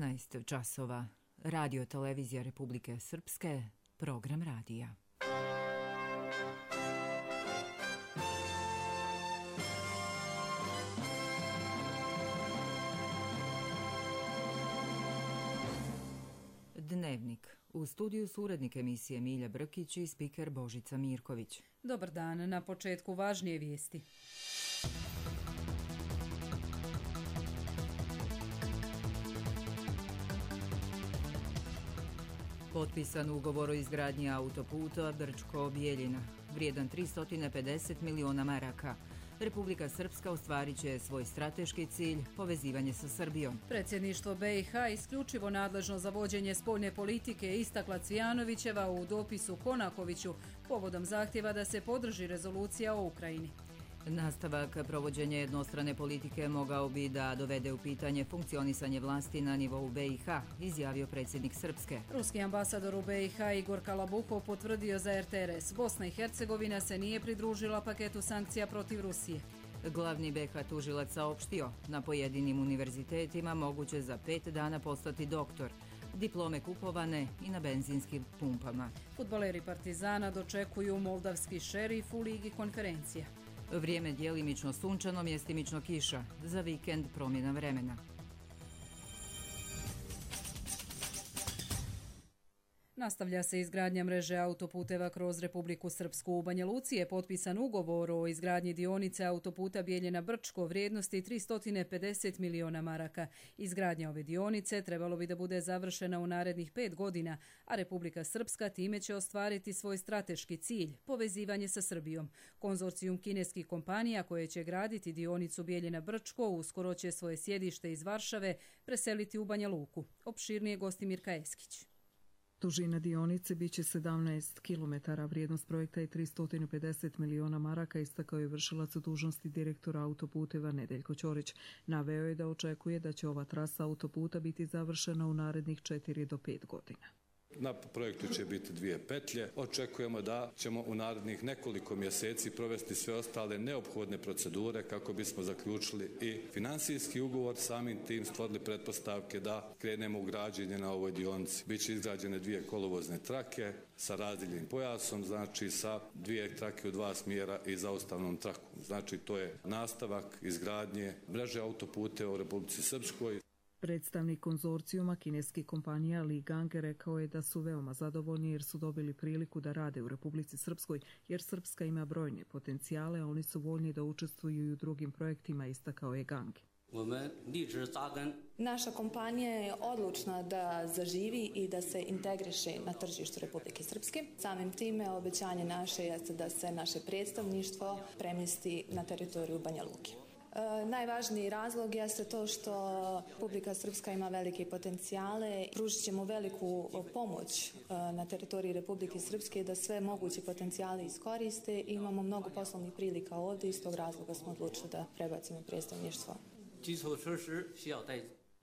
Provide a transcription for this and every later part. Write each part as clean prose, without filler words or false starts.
16 časova. Radio televizija Republike Srpske, program radija. Dnevnik. U studiju su urednik emisije Milja Brkić i spiker Božica Mirković. Dobar dan, na početku važnije vijesti. Potpisan ugovor o izgradnji autoputa Brčko-Bjeljina, vrijedan 350 miliona maraka. Republika Srpska ostvarit će svoj strateški cilj, povezivanje sa Srbijom. Predsjedništvo BiH isključivo nadležno za vođenje spoljne politike istakla Cvijanovićeva u dopisu Konakoviću povodom zahtjeva da se podrži rezolucija o Ukrajini. Nastavak provođenja jednostrane politike mogao bi da dovede u pitanje funkcionisanje vlasti na nivou BiH, izjavio predsjednik Srpske. Ruski ambasador u BiH Igor Kalabuhov potvrdio za RTRS. Bosna i Hercegovina se nije pridružila paketu sankcija protiv Rusije. Glavni BiH tužilac saopštio, na pojedinim univerzitetima moguće za 5 dana postati doktor. Diplome kupovane i na benzinskim pumpama. Fudbaleri Partizana dočekuju moldavski Šerif u Ligi konferencija. Vrijeme djelimično sunčano, mjestimično kiša. Za vikend promjena vremena. Nastavlja se izgradnja mreže autoputeva kroz Republiku Srpsku. U Banja Luci je potpisan ugovor o izgradnji dionice autoputa Bjeljina-Brčko vrijednosti 350 miliona maraka. Izgradnja ove dionice trebalo bi da bude završena u narednih 5 godina, a Republika Srpska time će ostvariti svoj strateški cilj, povezivanje sa Srbijom. Konzorcijum kineskih kompanija koje će graditi dionicu Bjeljina-Brčko uskoro će svoje sjedište iz Varšave preseliti u Banja Luku. Opširnije Gostimirka Eskić. Dužina dionice biće 17 km, vrijednost projekta je 350 miliona maraka, istakao je vršilac dužnosti direktora autoputeva Nedeljko Ćorić. Naveo je da očekuje da će ova trasa autoputa biti završena u narednih 4 do 5 godina. Na projektu će biti 2 petlje. Očekujemo da ćemo u narednih nekoliko mjeseci provesti sve ostale neophodne procedure kako bismo zaključili i finansijski ugovor, samim tim stvorili pretpostavke da krenemo u građenje na ovoj dionici. Biće izgrađene 2 kolovozne trake sa razdeljenim pojasom, znači sa 2 trake u 2 smjera i zaustavnom trakom. Znači to je nastavak izgradnje mreže autoputeva u Republici Srpskoj. Predstavnik konzorcijuma kineskih kompanija Li Gang rekao je da su veoma zadovoljni jer su dobili priliku da rade u Republici Srpskoj, jer Srpska ima brojne potencijale, a oni su voljni da učestvuju i u drugim projektima, istakao je Gang. Naša kompanija je odlučna da zaživi i da se integriše na tržištu Republike Srpske. Samim time obećanje naše jeste da se naše predstavništvo premjesti na teritoriju Banja Luke. Najvažniji razlog jeste to što Republika Srpska ima velike potencijale. Pružit ćemo veliku pomoć na teritoriji Republike Srpske da sve moguće potencijale iskoriste i imamo mnogo poslovnih prilika ovdje, iz tog razloga smo odlučili da prebacimo predstavništvo.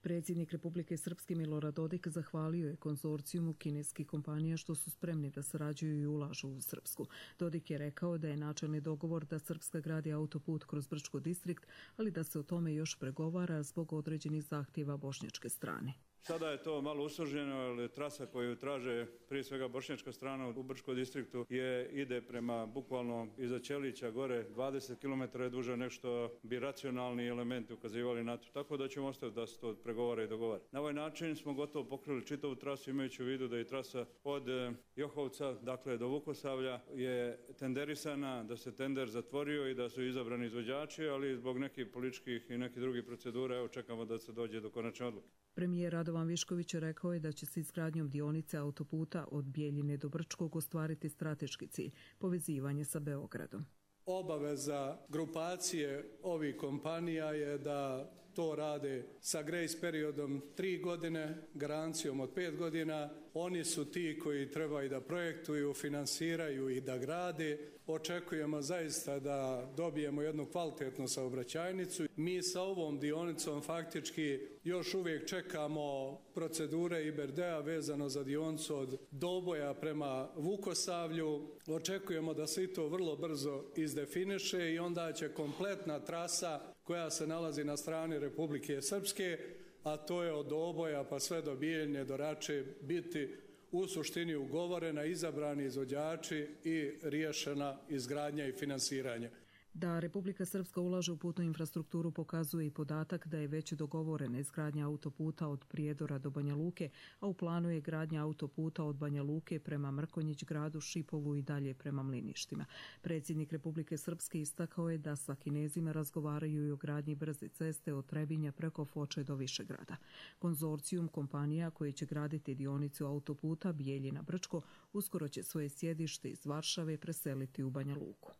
Predsjednik Republike Srpske Milorad Dodik zahvalio je konzorcijumu kineskih kompanija što su spremni da sarađuju i ulažu u Srpsku. Dodik je rekao da je načelni dogovor da Srpska gradi autoput kroz Brčko distrikt, ali da se o tome još pregovara zbog određenih zahtjeva bošnjačke strane. Sada je to malo usloženo, jer trasa koju traže prije svega bošnjačka strana u Brčko distriktu ide prema bukvalno iza Ćelića gore 20 km je duže nešto bi racionalni elementi ukazivali na to. Tako da ćemo ostaviti da se to pregovara i dogovara. Na ovaj način smo gotovo pokrili čitavu trasu, imajući u vidu da je trasa od Johovca, dakle do Vukosavlja, je tenderisana, da se tender zatvorio i da su izabrani izvođači, ali zbog nekih političkih i nekih drugih procedura evo čekamo da se dođe do konačne odluke. Premijer Radovan Višković rekao je da će se izgradnjom dionice autoputa od Bjeljine do Brčkog ostvariti strateški cilj, povezivanje sa Beogradom. Obaveza grupacije ovih kompanija je da to rade sa grace periodom 3 godine, garancijom od 5 godina. Oni su ti koji trebaju da projektuju, finansiraju i da grade. Očekujemo zaista da dobijemo jednu kvalitetnu saobraćajnicu. Mi sa ovom dionicom faktički još uvijek čekamo procedure IBRD-a vezano za dionicu od Doboja prema Vukosavlju. Očekujemo da se i to vrlo brzo izdefiniše i onda će kompletna trasa koja se nalazi na strani Republike Srpske a to je od Oboja pa sve do Bijeljne, do Rače, biti u suštini ugovorena, izabrani izvođači i riješena izgradnja i finansiranje. Da Republika Srpska ulaže u putnu infrastrukturu pokazuje i podatak da je već dogovorena izgradnja autoputa od Prijedora do Banja Luke, a u planu je gradnja autoputa od Banja Luke prema Mrkonjić gradu, Šipovu i dalje prema Mliništima. Predsjednik Republike Srpske istakao je da sa Kinezima razgovaraju i o gradnji brze ceste od Trebinja preko Foče do Višegrada. Konzorcijum kompanija koji će graditi dionicu autoputa Bijeljina-Brčko uskoro će svoje sjedište iz Varšave preseliti u Banja Luku.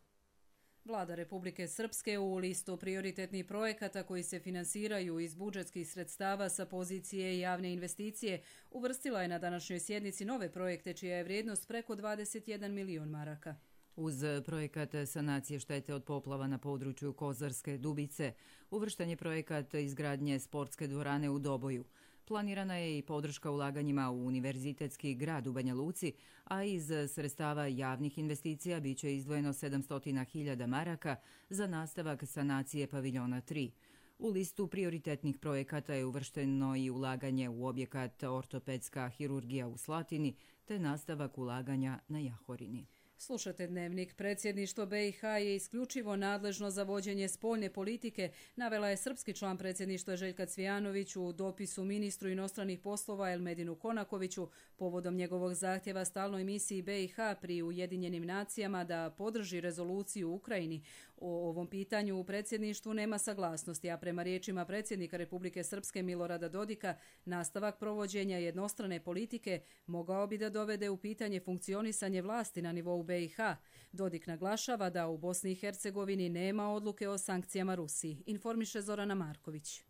Vlada Republike Srpske u listu prioritetnih projekata koji se finansiraju iz budžetskih sredstava sa pozicije javne investicije uvrstila je na današnjoj sjednici nove projekte čija je vrijednost preko 21 milion maraka. Uz projekat sanacije štete od poplava na području Kozarske Dubice, uvršten je projekat izgradnje sportske dvorane u Doboju. Planirana je i podrška ulaganjima u univerzitetski grad u Banja Luci, a iz sredstava javnih investicija biće izdvojeno 700.000 maraka za nastavak sanacije paviljona 3. U listu prioritetnih projekata je uvršteno i ulaganje u objekat ortopedska hirurgija u Slatini te nastavak ulaganja na Jahorini. Slušate Dnevnik. Predsjedništvo BiH je isključivo nadležno za vođenje spoljne politike, navela je srpski član predsjedništva Željka Cvijanović u dopisu ministru inostranih poslova Elmedinu Konakoviću povodom njegovog zahtjeva stalnoj misiji BiH pri Ujedinjenim nacijama da podrži rezoluciju u Ukrajini. O ovom pitanju u predsjedništvu nema saglasnosti, a prema riječima predsjednika Republike Srpske Milorada Dodika, nastavak provođenja jednostrane politike mogao bi da dovede u pitanje funkcionisanje vlasti na nivou BiH. Dodik naglašava da u Bosni i Hercegovini nema odluke o sankcijama Rusiji, informiše Zorana Marković.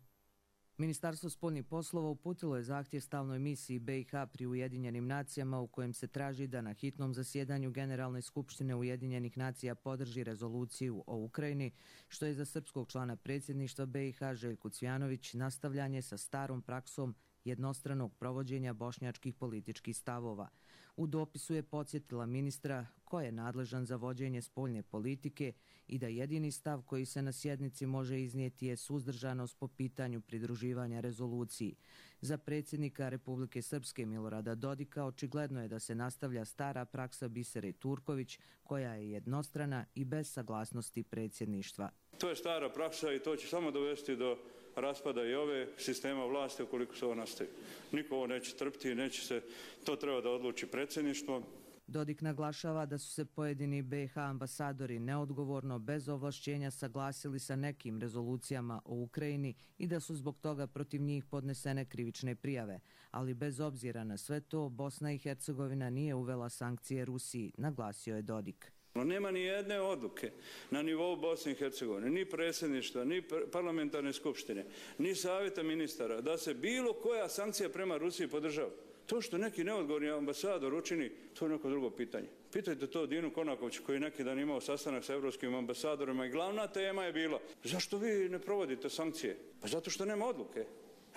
Ministarstvo spoljnih poslova uputilo je zahtjev stalnoj misiji BiH pri Ujedinjenim nacijama u kojem se traži da na hitnom zasjedanju Generalne skupštine Ujedinjenih nacija podrži rezoluciju o Ukrajini, što je za srpskog člana predsjedništva BiH Željku Cvijanović nastavljanje sa starom praksom jednostranog provođenja bošnjačkih političkih stavova. U dopisu je podsjetila ministra ko je nadležan za vođenje spoljne politike i da jedini stav koji se na sjednici može iznijeti je suzdržanost po pitanju pridruživanja rezoluciji. Za predsjednika Republike Srpske Milorada Dodika očigledno je da se nastavlja stara praksa Bisere Turković koja je jednostrana i bez saglasnosti predsjedništva. To je stara praksa i to će samo dovesti do raspada i ove sistema vlasti ukoliko se ovo nastavi. Niko ovo neće trpiti, neće se, to treba da odluči predsjedništvo. Dodik naglašava da su se pojedini BiH ambasadori neodgovorno, bez ovlašćenja saglasili sa nekim rezolucijama o Ukrajini i da su zbog toga protiv njih podnesene krivične prijave. Ali bez obzira na sve to, Bosna i Hercegovina nije uvela sankcije Rusiji, naglasio je Dodik. Nema ni jedne odluke na nivou Bosne i Hercegovine, ni predsjedništva, ni parlamentarne skupštine, ni savjeta ministara da se bilo koja sankcija prema Rusiji podržava. To što neki neodgovorni ambasador učini, to je neko drugo pitanje. Pitajte to Dinu Konakoviću koji je neki dan imao sastanak sa evropskim ambasadorima i glavna tema je bila zašto vi ne provodite sankcije? Pa zato što nema odluke.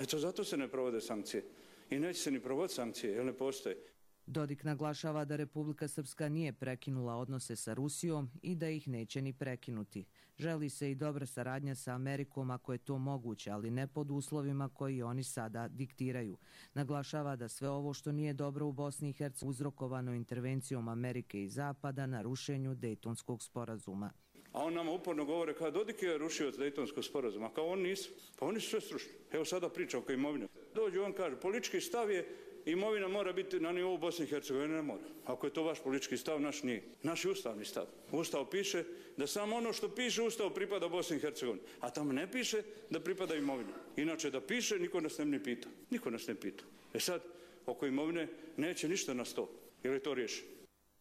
Eto, zato se ne provode sankcije. I neće se ni provoditi sankcije, jer ne postoje. Dodik naglašava da Republika Srpska nije prekinula odnose sa Rusijom i da ih neće ni prekinuti. Želi se i dobra saradnja sa Amerikom ako je to moguće, ali ne pod uslovima koji oni sada diktiraju. Naglašava da sve ovo što nije dobro u Bosni i Hercegovini uzrokovano intervencijom Amerike i Zapada na rušenju Dejtonskog sporazuma. A on nama uporno govore kao Dodik je rušio od Dejtonskog sporazuma, kao on nisu. Pa oni su sve strušni. Evo sada priča oko imovine. Dođe on kaže, politički stav je imovina mora biti na nivou Bosne i Hercegovine, ne mora. Ako je to vaš politički stav, naš nije. Naš je ustavni stav. Ustav piše da samo ono što piše u Ustavu pripada Bosni i Hercegovini, a tamo ne piše da pripada imovina. Inače da piše, niko nas ne pita. Niko nas ne pita. Sad, oko imovine neće ništa na sto, jer je to riješeno.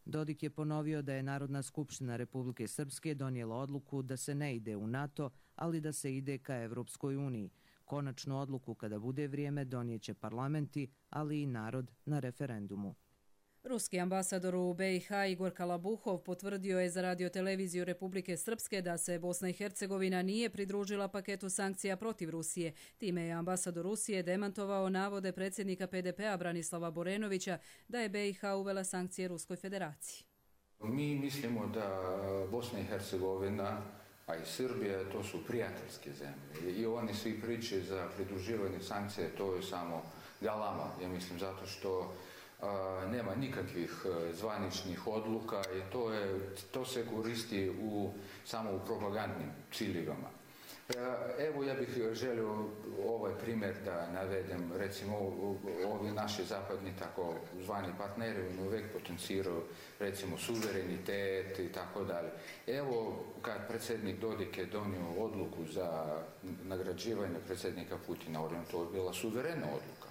Dodik je ponovio da je Narodna skupština Republike Srpske donijela odluku da se ne ide u NATO, ali da se ide ka Evropskoj uniji. Konačnu odluku kada bude vrijeme donijeće parlamenti, ali i narod na referendumu. Ruski ambasador u BiH Igor Kalabuhov potvrdio je za radioteleviziju Republike Srpske da se Bosna i Hercegovina nije pridružila paketu sankcija protiv Rusije. Time je ambasador Rusije demantovao navode predsjednika PDP-a Branislava Borenovića da je BiH uvela sankcije Ruskoj federaciji. Mi mislimo da Bosna i Hercegovina a i Srbija, to su prijateljske zemlje. I oni svi priče za pridruživanje sankcije, to je samo galama, ja mislim, zato što nema nikakvih zvaničnih odluka i to se koristi samo u propagandnim ciljevima. Evo, ja bih želio ovaj primjer da navedem. Recimo, ovi naši zapadni tako zvani partneri uvijek potenciraju, recimo, suverenitet i tako dalje. Evo, kad predsjednik Dodik je donio odluku za nagrađivanje predsjednika Putina, to je bila suverena odluka.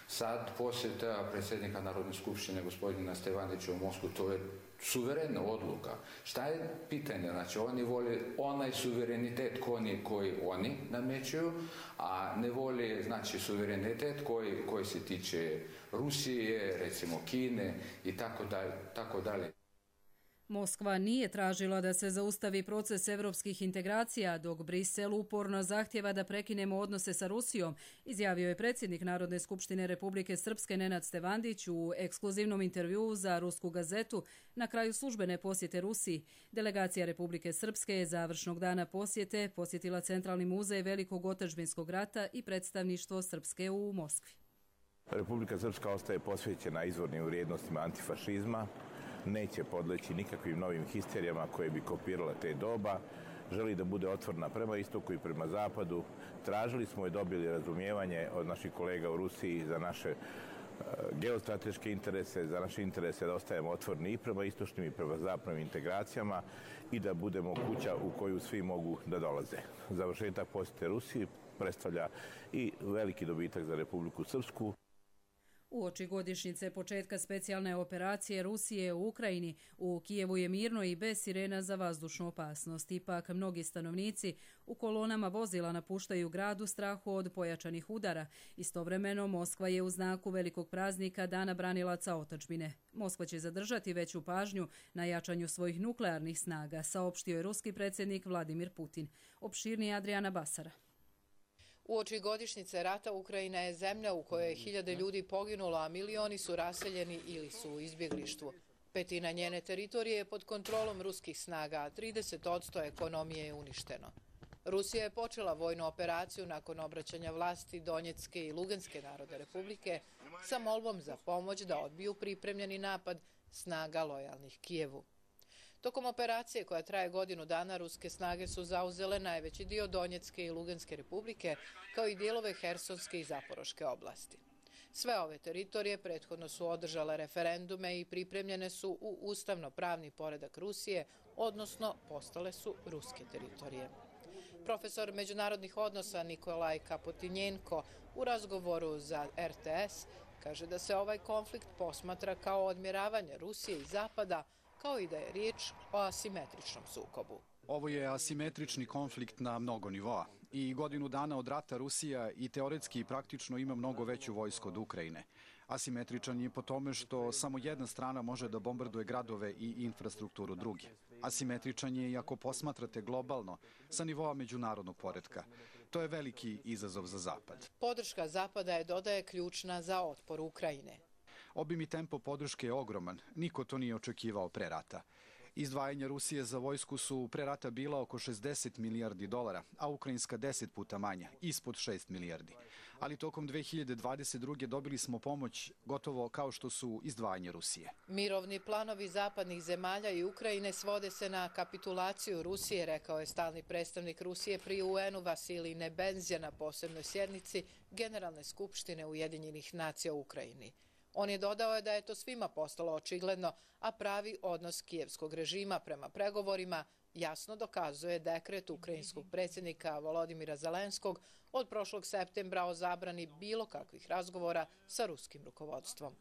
Sad posjeta predsjednika Narodne skupštine gospodina Stevanića u Moskvu, to je suverena odluka. Šta je pitanje? Znači, oni vole onaj suverenitet koji oni namećuju, a ne vole, znači, suverenitet koji se tiče Rusije, recimo Kine i tako dalje. Moskva nije tražila da se zaustavi proces evropskih integracija, dok Brisel uporno zahtjeva da prekinemo odnose sa Rusijom, izjavio je predsjednik Narodne skupštine Republike Srpske Nenad Stevandić u ekskluzivnom intervjuu za Rusku gazetu na kraju službene posjete Rusiji. Delegacija Republike Srpske je završnog dana posjete posjetila Centralni muzej Velikog otadžbinskog rata i predstavništvo Srpske u Moskvi. Republika Srpska ostaje posvećena izvornim vrijednostima antifašizma, neće podleći nikakvim novim histerijama koje bi kopirale te doba, želi da bude otvorena prema istoku i prema zapadu. Tražili smo i dobili razumijevanje od naših kolega u Rusiji za naše geostrateške interese, za naše interese da ostajemo otvoreni i prema istočnim i prema zapadnim integracijama i da budemo kuća u koju svi mogu da dolaze. Završetak posjete Rusiji predstavlja i veliki dobitak za Republiku Srpsku. Uoči godišnjice početka specijalne operacije Rusije u Ukrajini, u Kijevu je mirno i bez sirena za vazdušnu opasnost. Ipak, mnogi stanovnici u kolonama vozila napuštaju grad u strahu od pojačanih udara. Istovremeno, Moskva je u znaku velikog praznika Dana branilaca otadžbine. Moskva će zadržati veću pažnju na jačanju svojih nuklearnih snaga, saopštio je ruski predsjednik Vladimir Putin. Opširnije Adriana Basara. Uoči godišnjice rata Ukrajina je zemlja u kojoj je 1000 ljudi poginulo, a milioni su raseljeni ili su u izbjeglištvu. Petina njene teritorije je pod kontrolom ruskih snaga, a 30% ekonomije je uništeno. Rusija je počela vojnu operaciju nakon obraćanja vlasti Donjecke i Luganske narodne republike sa molbom za pomoć da odbiju pripremljeni napad snaga lojalnih Kijevu. Tokom operacije koja traje godinu dana, ruske snage su zauzele najveći dio Donjecke i Luganske republike, kao i dijelove Hersonske i Zaporoške oblasti. Sve ove teritorije prethodno su održale referendume i pripremljene su u ustavno-pravni poredak Rusije, odnosno postale su ruske teritorije. Profesor međunarodnih odnosa Nikolaj Kapotinjenko u razgovoru za RTS kaže da se ovaj konflikt posmatra kao odmjeravanje Rusije i Zapada, kao i da je riječ o asimetričnom sukobu. Ovo je asimetrični konflikt na mnogo nivoa i godinu dana od rata Rusija i teoretski i praktično ima mnogo veću vojsku od Ukrajine. Asimetričan je po tome što samo jedna strana može da bombarduje gradove i infrastrukturu druge. Asimetričan je i ako posmatrate globalno sa nivoa međunarodnog poretka. To je veliki izazov za Zapad. Podrška Zapada je, dodaje, ključna za otpor Ukrajine. Obim i tempo podrške je ogroman, niko to nije očekivao pre rata. Izdvajanja Rusije za vojsku su pre rata bila oko 60 milijardi dolara, a ukrajinska 10 puta manja, ispod 6 milijardi. Ali tokom 2022. dobili smo pomoć gotovo kao što su izdvajanja Rusije. Mirovni planovi zapadnih zemalja i Ukrajine svode se na kapitulaciju Rusije, rekao je stalni predstavnik Rusije pri UN-u Vasilij Nebenzija na posebnoj sjednici Generalne skupštine Ujedinjenih nacija u Ukrajini. On je dodao da je to svima postalo očigledno, a pravi odnos kijevskog režima prema pregovorima jasno dokazuje dekret ukrajinskog predsjednika Volodimira Zelenskog od prošlog septembra o zabrani bilo kakvih razgovora sa ruskim rukovodstvom.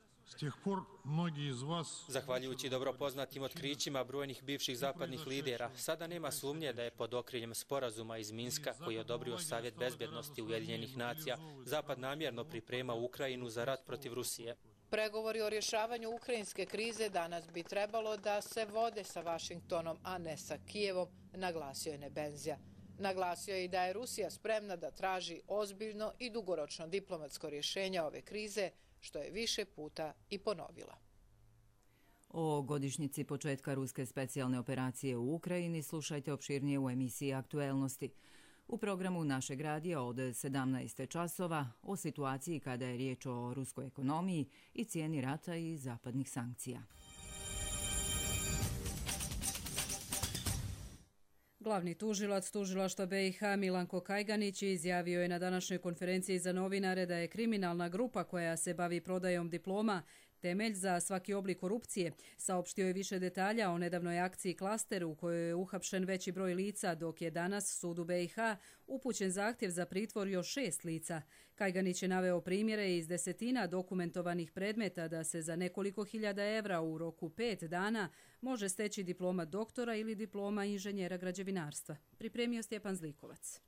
Zahvaljujući dobro poznatim otkrićima brojnih bivših zapadnih lidera, sada nema sumnje da je pod okriljem sporazuma iz Minska, koji je odobrio Savjet bezbednosti Ujedinjenih nacija, Zapad namjerno priprema Ukrajinu za rat protiv Rusije. Pregovori o rješavanju ukrajinske krize danas bi trebalo da se vode sa Vašingtonom, a ne sa Kijevom, naglasio je Nebenzija. Naglasio je i da je Rusija spremna da traži ozbiljno i dugoročno diplomatsko rješenje ove krize, što je više puta i ponovila. O godišnjici početka ruske specijalne operacije u Ukrajini slušajte opširnije u emisiji Aktuelnosti. U programu našeg radija od 17 časova o situaciji kada je riječ o ruskoj ekonomiji i cijeni rata i zapadnih sankcija. Glavni tužilac tužilaštva BiH Milanko Kajganić izjavio je na današnjoj konferenciji za novinare da je kriminalna grupa koja se bavi prodajom diploma temelj za svaki oblik korupcije. Saopštio je više detalja o nedavnoj akciji Klaster u kojoj je uhapšen veći broj lica, dok je danas sudu BiH upućen zahtjev za pritvor još 6 lica. Kajganić je naveo primjere iz desetina dokumentovanih predmeta da se za nekoliko hiljada evra u roku 5 dana može steći diploma doktora ili diploma inženjera građevinarstva. Pripremio Stjepan Zlikovac.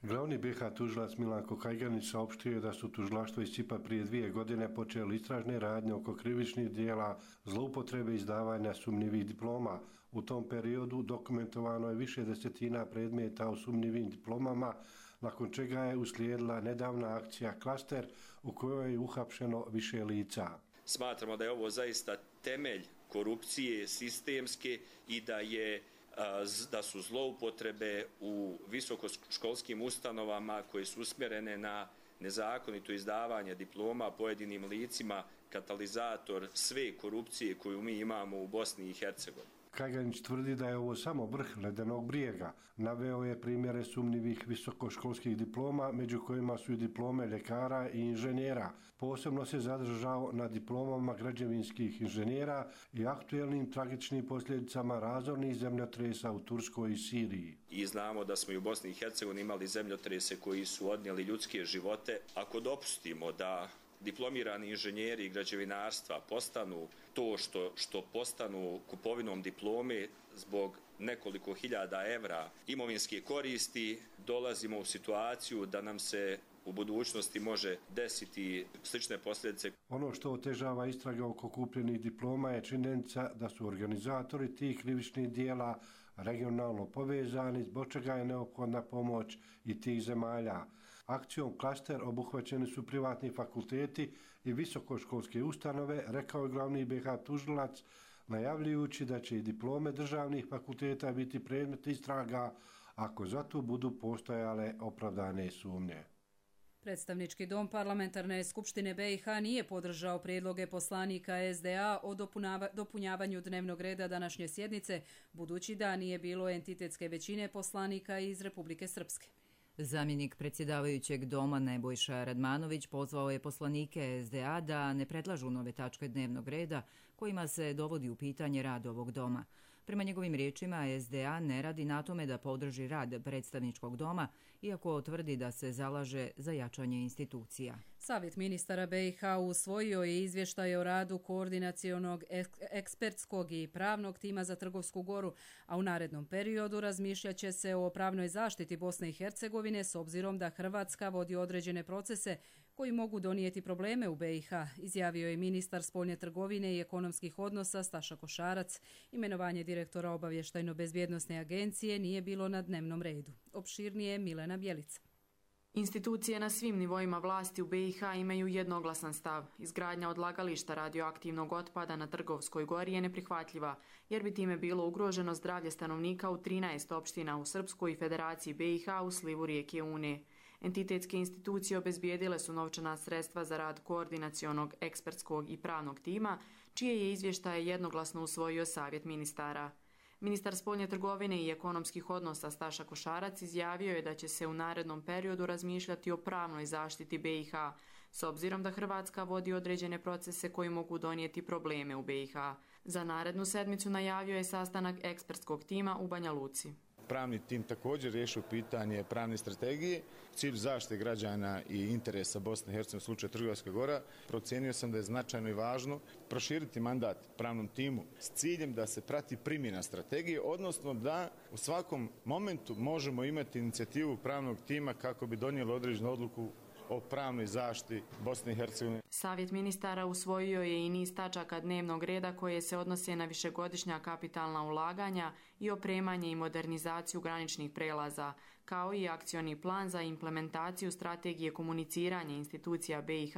Glavni BiH tužilac Milanko Kajganić saopštio je da su tužilaštvo iz Čipa prije 2 godine počeli istražne radnje oko krivičnih dijela zloupotrebe izdavanja sumnjivih diploma. U tom periodu dokumentovano je više desetina predmeta o sumnjivim diplomama, nakon čega je uslijedila nedavna akcija Klaster u kojoj je uhapšeno više lica. Smatramo da je ovo zaista temelj korupcije sistemske i da su zloupotrebe u visokoškolskim ustanovama koje su usmjerene na nezakonito izdavanje diploma pojedinim licima katalizator sve korupcije koju mi imamo u Bosni i Hercegovini. Kajganić tvrdi da je ovo samo vrh ledenog brijega. Naveo je primjere sumnjivih visokoškolskih diploma, među kojima su i diplome ljekara i inženjera. Posebno se zadržao na diplomama građevinskih inženjera i aktuelnim tragičnim posljedicama razornih zemljotresa u Turskoj i Siriji. I znamo da smo i u Bosni i Hercegovini imali zemljotrese koji su odnijeli ljudske živote. Ako dopustimo da diplomirani inženjeri građevinarstva postanu to što postanu kupovinom diplome zbog nekoliko hiljada evra imovinske koristi, dolazimo u situaciju da nam se u budućnosti može desiti slične posljedice. Ono što otežava istrage oko kupljenih diploma je činjenica da su organizatori tih krivičnih dijela regionalno povezani, zbog čega je neophodna pomoć i tih zemalja. Akcijom Klaster obuhvaćeni su privatni fakulteti i visokoškolske ustanove, rekao je glavni BiH tužilac, najavljujući da će i diplome državnih fakulteta biti predmet istraga ako za to budu postojale opravdane sumnje. Predstavnički dom parlamentarne skupštine BiH nije podržao prijedloge poslanika SDA o dopunjavanju dnevnog reda današnje sjednice, budući da nije bilo entitetske većine poslanika iz Republike Srpske. Zamjenik predsjedavajućeg doma Nebojša Radmanović pozvao je poslanike SDA da ne predlažu nove tačke dnevnog reda kojima se dovodi u pitanje rad ovog doma. Prema njegovim riječima, SDA ne radi na tome da podrži rad predstavničkog doma, iako tvrdi da se zalaže za jačanje institucija. Savjet ministara BiH usvojio je izvještaj o radu koordinacionog ekspertskog i pravnog tima za Trgovsku Goru, a u narednom periodu razmišljat će se o pravnoj zaštiti Bosne i Hercegovine s obzirom da Hrvatska vodi određene procese koji mogu donijeti probleme u BiH, izjavio je ministar spoljne trgovine i ekonomskih odnosa Staša Košarac. Imenovanje direktora obavještajno-bezbjednosne agencije nije bilo na dnevnom redu. Opširnije Milena Bjelica. Institucije na svim nivoima vlasti u BiH imaju jednoglasan stav. Izgradnja odlagališta radioaktivnog otpada na Trgovskoj gori je neprihvatljiva, jer bi time bilo ugroženo zdravlje stanovnika u 13 opština u Srpskoj i Federaciji BiH u slivu rijeke Une. Entitetske institucije obezbijedile su novčana sredstva za rad koordinacionog, ekspertskog i pravnog tima, čije je izvještaje jednoglasno usvojio Savjet ministara. Ministar spoljne trgovine i ekonomskih odnosa Staša Košarac izjavio je da će se u narednom periodu razmišljati o pravnoj zaštiti BiH, s obzirom da Hrvatska vodi određene procese koji mogu donijeti probleme u BiH. Za narednu sedmicu najavio je sastanak ekspertskog tima u Banja Luci. Pravni tim također riješio pitanje pravne strategije, cilj zaštite građana i interesa Bosne i Hercegovine u slučaju Trgovska Gora. Procijenio sam da je značajno i važno proširiti mandat pravnom timu s ciljem da se prati primjena strategije, odnosno da u svakom momentu možemo imati inicijativu pravnog tima kako bi donijeli određenu odluku o pravnoj zaštiti Bosne i Hercegovine. Savjet ministara usvojio je i niz tačaka dnevnog reda koje se odnose na višegodišnja kapitalna ulaganja i opremanje i modernizaciju graničnih prelaza, kao i akcioni plan za implementaciju strategije komuniciranja institucija BiH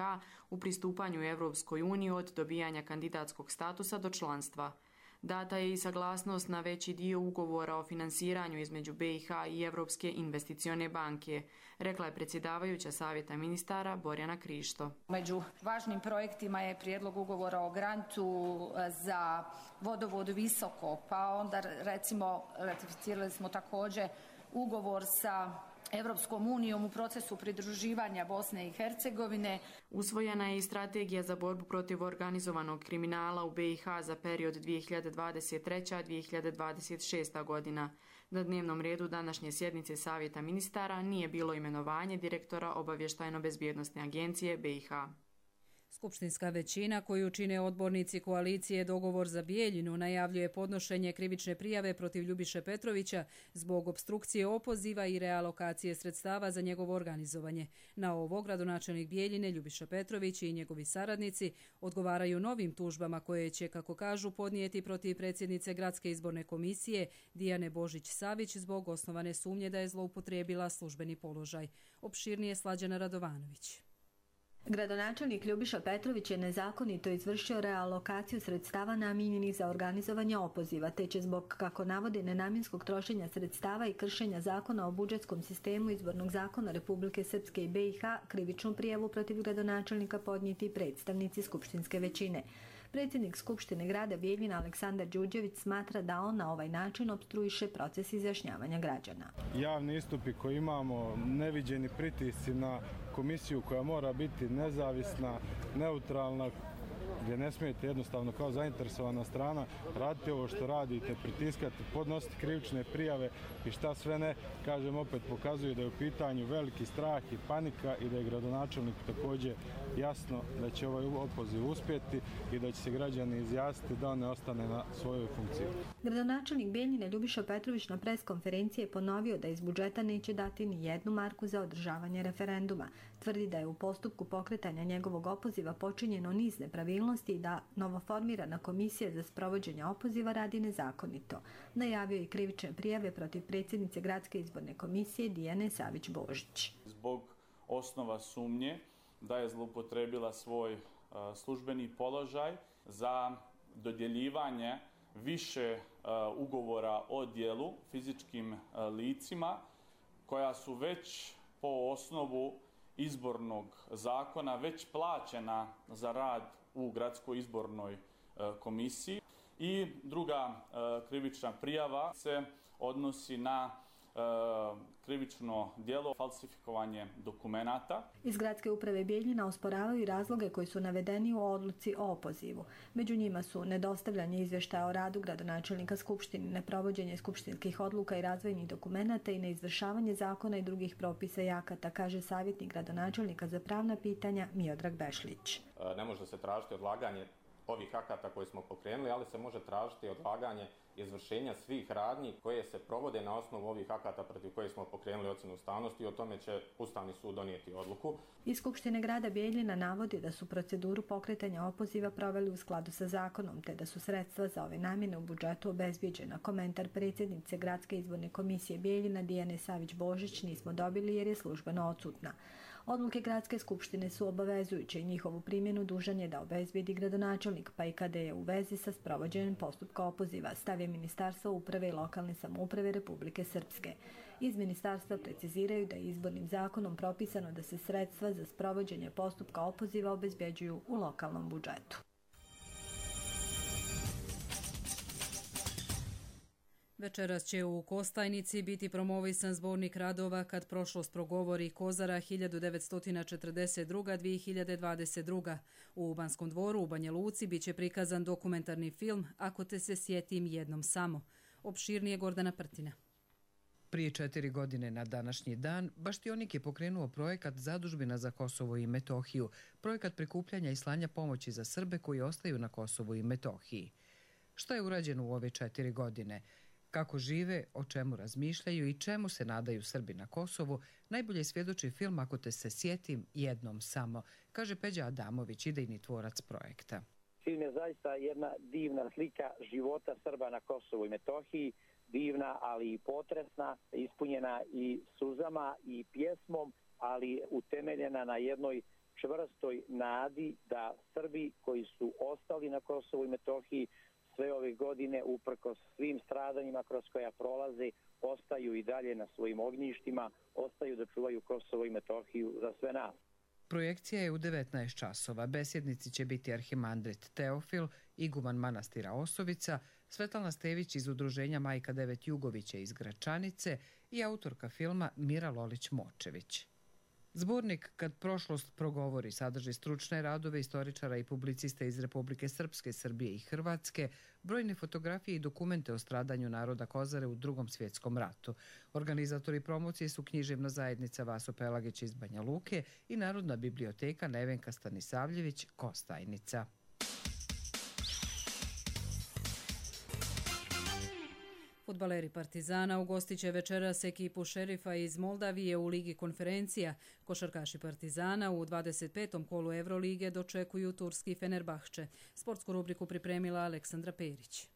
u pristupanju Europskoj uniji od dobijanja kandidatskog statusa do članstva. Data je i saglasnost na veći dio ugovora o finansiranju između BiH i Europske investicione banke, rekla je predsjedavajuća Savjeta ministara Borjana Krišto. Među važnim projektima je prijedlog ugovora o grantu za vodovod Visoko, pa onda recimo ratificirali smo također ugovor sa Europskom unijom u procesu pridruživanja Bosne i Hercegovine. Usvojena je i strategija za borbu protiv organizovanog kriminala u BiH za period 2023-2026. godina. Na dnevnom redu današnje sjednice Savjeta ministara nije bilo imenovanje direktora Obavještajno-bezbjednosne agencije BiH. Skupštinska većina koju čine odbornici koalicije Dogovor za Bijeljinu najavljuje podnošenje krivične prijave protiv Ljubiše Petrovića zbog opstrukcije opoziva i realokacije sredstava za njegovo organizovanje. Na ovo gradonačelnik Bijeljine Ljubiša Petrović i njegovi saradnici odgovaraju novim tužbama koje će, kako kažu, podnijeti protiv predsjednice Gradske izborne komisije Dijane Božić-Savić zbog osnovane sumnje da je zloupotrijebila službeni položaj. Opširnije Slađana Radovanović. Gradonačelnik Ljubiša Petrović je nezakonito izvršio realokaciju sredstava namijenjenih za organizovanje opoziva, te će zbog, kako navodi, nenamjenskog trošenja sredstava i kršenja zakona o budžetskom sistemu izbornog zakona Republike Srpske i BiH krivičnu prijavu protiv gradonačelnika podnijeti predstavnici skupštinske većine. Predsjednik Skupštine grada Bijeljina Aleksandar Đurđević smatra da on na ovaj način opstruiše proces izjašnjavanja građana. Javni istupi koji imamo, neviđeni pritisci na komisiju koja mora biti nezavisna, neutralna, gdje ne smijete jednostavno kao zainteresovana strana raditi ovo što radite, pritiskati, podnositi krivične prijave i šta sve ne, kažem opet, pokazuje da je u pitanju veliki strah i panika i da je gradonačelnik također jasno da će ovaj opoziv uspjeti i da će se građani izjasniti da on ne ostane na svojoj funkciji. Gradonačelnik Bijeljine Ljubiša Petrović na preskonferenciji je ponovio da iz budžeta neće dati ni jednu marku za održavanje referenduma. Tvrdi da je u postupku pokretanja njegovog opoziva počinjeno niz nepravilnosti i da novoformirana komisija za sprovođenje opoziva radi nezakonito. Najavio i krivične prijave protiv predsjednice Gradske izborne komisije Dijane Savić-Božić. Zbog osnova sumnje da je zloupotrebila svoj službeni položaj za dodjeljivanje više ugovora o djelu fizičkim licima koja su već po osnovu izbornog zakona već plaćena za rad u Gradskoj izbornoj komisiji. I druga krivična prijava se odnosi na krivično djelo falsifikovanje dokumenata. Iz Gradske uprave Bijeljina osporavaju i razloge koji su navedeni u odluci o opozivu. Među njima su nedostavljanje izvještaja o radu gradonačelnika Skupštine, neprovođenje skupštinskih odluka i razvojnih dokumenata i neizvršavanje zakona i drugih propisa i akata, kaže savjetnik gradonačelnika za pravna pitanja Miodrag Bešlić. Ne može se tražiti odlaganje ovih akata koje smo pokrenuli, ali se može tražiti odlaganje izvršenja svih radnji koje se provode na osnovu ovih akata protiv koje smo pokrenuli ocjenu ustavnosti i o tome će Ustavni sud donijeti odluku. Iz Skupštine grada Bijeljina navodi da su proceduru pokretanja opoziva proveli u skladu sa zakonom, te da su sredstva za ove namjene u budžetu obezbijeđena. Komentar predsjednice Gradske izborne komisije Bijeljina Dijane Savić-Božić nismo dobili jer je službeno odsutna. Odluke Gradske skupštine su obavezujuće i njihovu primjenu dužan je da obezbijedi gradonačelnik, pa i kada je u vezi sa sprovođenjem postupka opoziva, stavi Ministarstvo uprave i lokalne samouprave Republike Srpske. Iz ministarstva preciziraju da je izbornim zakonom propisano da se sredstva za sprovođenje postupka opoziva obezbjeđuju u lokalnom budžetu. Večeras će u Kostajnici biti promovisan zbornik radova Kad prošlost progovori Kozara 1942-2022. U Banskom dvoru u Banja Luci biće prikazan dokumentarni film Ako te se sjetim jednom samo. Opširnije Gordana Prtina. Prije 4 godine na današnji dan Baštionik je pokrenuo projekat Zadužbina za Kosovo i Metohiju, projekat prikupljanja i slanja pomoći za Srbe koji ostaju na Kosovu i Metohiji. Šta je urađeno u ove 4 godine? Kako žive, o čemu razmišljaju i čemu se nadaju Srbi na Kosovu, najbolje svjedoči film Ako te se sjetim jednom samo, kaže Peđa Adamović, idejni tvorac projekta. Film je zaista jedna divna slika života Srba na Kosovu i Metohiji, divna, ali i potresna, ispunjena i suzama i pjesmom, ali utemeljena na jednoj čvrstoj nadi da Srbi koji su ostali na Kosovu i Metohiji sve ove godine, uprkos svim stradanjima kroz koja prolaze, ostaju i dalje na svojim ognjištima, ostaju da čuvaju Kosovo i Metohiju za sve nas. Projekcija je u 19 časova. Besjednici će biti arhimandrit Teofil, iguman manastira Osovica, Svetlana Stević iz udruženja Majka Devet Jugovića iz Gračanice i autorka filma Mira Lolić-Močević. Zbornik Kad prošlost progovori sadrži stručne radove istoričara i publicista iz Republike Srpske, Srbije i Hrvatske, brojne fotografije i dokumente o stradanju naroda Kozare u Drugom svjetskom ratu. Organizatori promocije su Književna zajednica Vaso Pelagić iz Banja Luke i Narodna biblioteka Nevenka Stanisavljević Kostajnica. Fudbaleri Partizana ugostit će večeras ekipu Šerifa iz Moldavije u Ligi konferencija. Košarkaši Partizana u 25. kolu Evrolige dočekuju turski Fenerbahče. Sportsku rubriku pripremila Aleksandra Perić.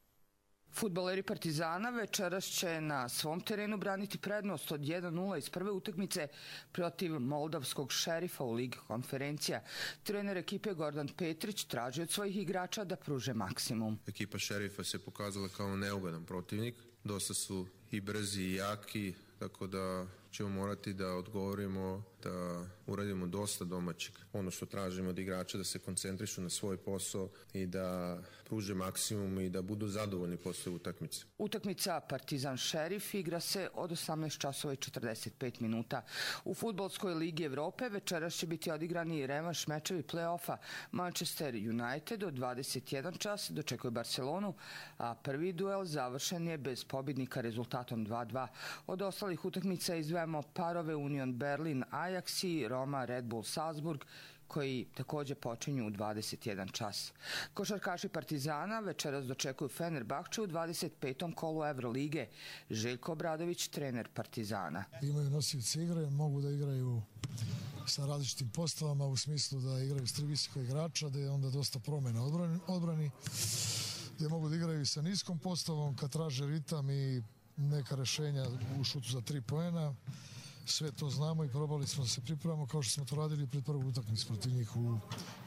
Fudbaleri Partizana večeras će na svom terenu braniti prednost od 1-0 iz prve utakmice protiv moldavskog Šerifa u Ligi konferencija. Trener ekipe Gordan Petrić traži od svojih igrača da pruže maksimum. Ekipa Šerifa se pokazala kao neugodan protivnik. Dosta su i brzi i jaki, tako da ćemo morati da odgovorimo, da uradimo dosta domaćeg. Ono što tražimo od igrača da se koncentrišu na svoj posao i da pruže maksimum i da budu zadovoljni posle utakmice. Utakmica Partizan Šerif igra se od 18 časova i 45 minuta. U Fudbalskoj ligi Evrope večeras će biti odigrani revanš mečevi play-offa. Manchester United od 21 čas dočekuje Barcelonu, a prvi duel završen je bez pobjednika rezultatom 2-2. Od ostalih utakmica izdvajamo parove Union Berlin Ajax i Roma Red Bull Salzburg, koji također počinju u 21 čas. Košarkaši Partizana večeras dočekuju Fenerbahče u 25. kolu Evrolige. Željko Obradović, trener Partizana. Imaju nosioce igre, mogu da igraju sa različitim postavama u smislu da igraju s tri visoka igrača, da je onda dosta promjena odbrani, gdje mogu da igraju sa niskom postavom kad traže ritam i neka rešenja u šutu za 3 poena. Sve to znamo i probali smo da se pripremamo kao što smo to radili pred prvu utakmicu protiv njih u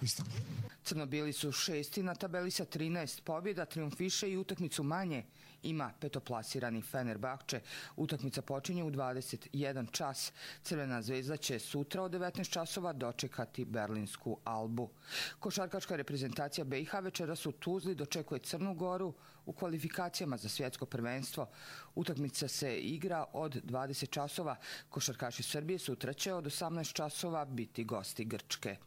Istanbulu. Crnobili su 6. na tabeli sa 13 pobjeda, trijumfiše i utakmicu manje ima petoplasirani Fenerbahče. Utakmica počinje u 21 čas. Crvena zvezda će sutra od 19 časova dočekati berlinsku Albu. Košarkaška reprezentacija BiH večeras u Tuzli dočekuje Crnu Goru u kvalifikacijama za svjetsko prvenstvo. Utakmica se igra od 20 časova. Košarkaši Srbije sutra će od 18 časova biti gosti Grčke.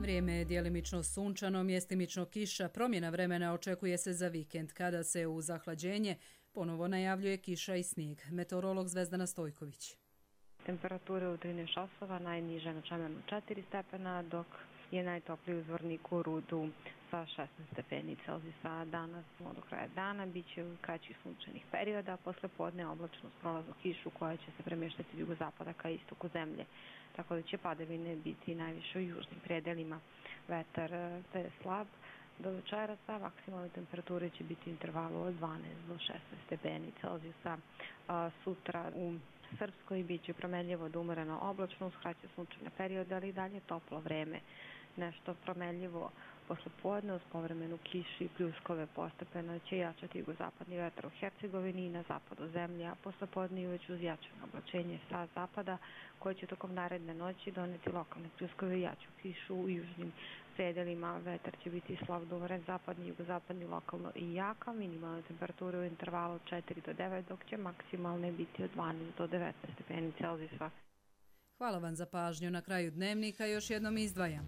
Vrijeme je djelimično sunčano, mjestimično kiša. Promjena vremena očekuje se za vikend, kada se u zahlađenje ponovo najavljuje kiša i snijeg. Meteorolog Zvezdana Stojković. Temperature u 13 časova, najniže na Čemernu 4 stepena, dok je najtopliji u Zvorniku Rudu sa 16 stepeni Celzijusa. Danas do kraja dana bit će kraćih sunčanih perioda, posle podne oblačno s prolaznom kišu koja će se premještati od jugozapada ka istoku zemlje. Tako da će padavine biti najviše u južnim predelima. Vetar je slab do večerasa, maksimalne temperature će biti u intervalu od 12 do 16 stepeni Celzijusa. Sutra u Srpskoj bit će promenljivo do umjereno oblačno, uz kraće sunčane periode, ali i dalje toplo vreme. Nešto promenljivo posle podne uz povremenu kišu i pljuskove, postepeno će jačati jugozapadni vetar u Hercegovini i na zapadu zemlje, a posle podne uveć uz jačano oblačenje sa zapada, koje će tokom naredne noći doneti lokalne pljuskove i jaču kišu u južnim predelima. Vetar će biti slab do umeren zapadni, jugozapadni, lokalno i jaka. Minimalne temperature u intervalu od 4 do 9, dok će maksimalne biti od 12 do 19 stepeni Celzijusa. Hvala vam za pažnju. Na kraju dnevnika još jednom izdvajam.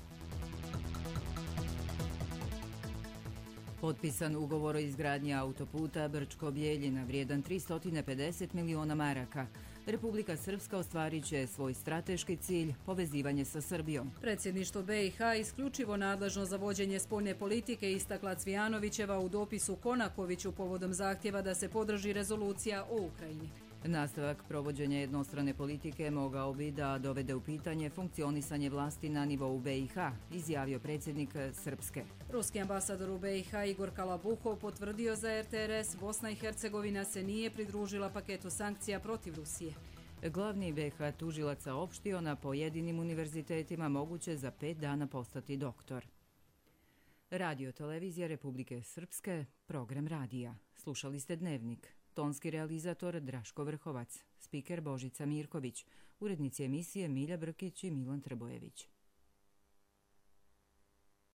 Potpisan ugovor o izgradnji autoputa Brčko-Bjeljina vrijedan 350 miliona maraka. Republika Srpska ostvarit će svoj strateški cilj, povezivanje sa Srbijom. Predsjedništvo BiH isključivo nadležno za vođenje spoljne politike istakla Cvijanovićeva u dopisu Konakoviću povodom zahtjeva da se podrži rezolucija o Ukrajini. Nastavak provođenja jednostrane politike mogao bi da dovede u pitanje funkcionisanje vlasti na nivou BiH, izjavio predsjednik Srpske. Ruski ambasador u BiH Igor Kalabuhov potvrdio za RTRS Bosna i Hercegovina se nije pridružila paketu sankcija protiv Rusije. Glavni BiH tužilac saopštio na pojedinim univerzitetima moguće za 5 dana postati doktor. Radio televizija Republike Srpske, program radija. Slušali ste Dnevnik. Tonski realizator Draško Vrhovac, spiker Božica Mirković, urednici emisije Milja Brkić i Milan Trbojević.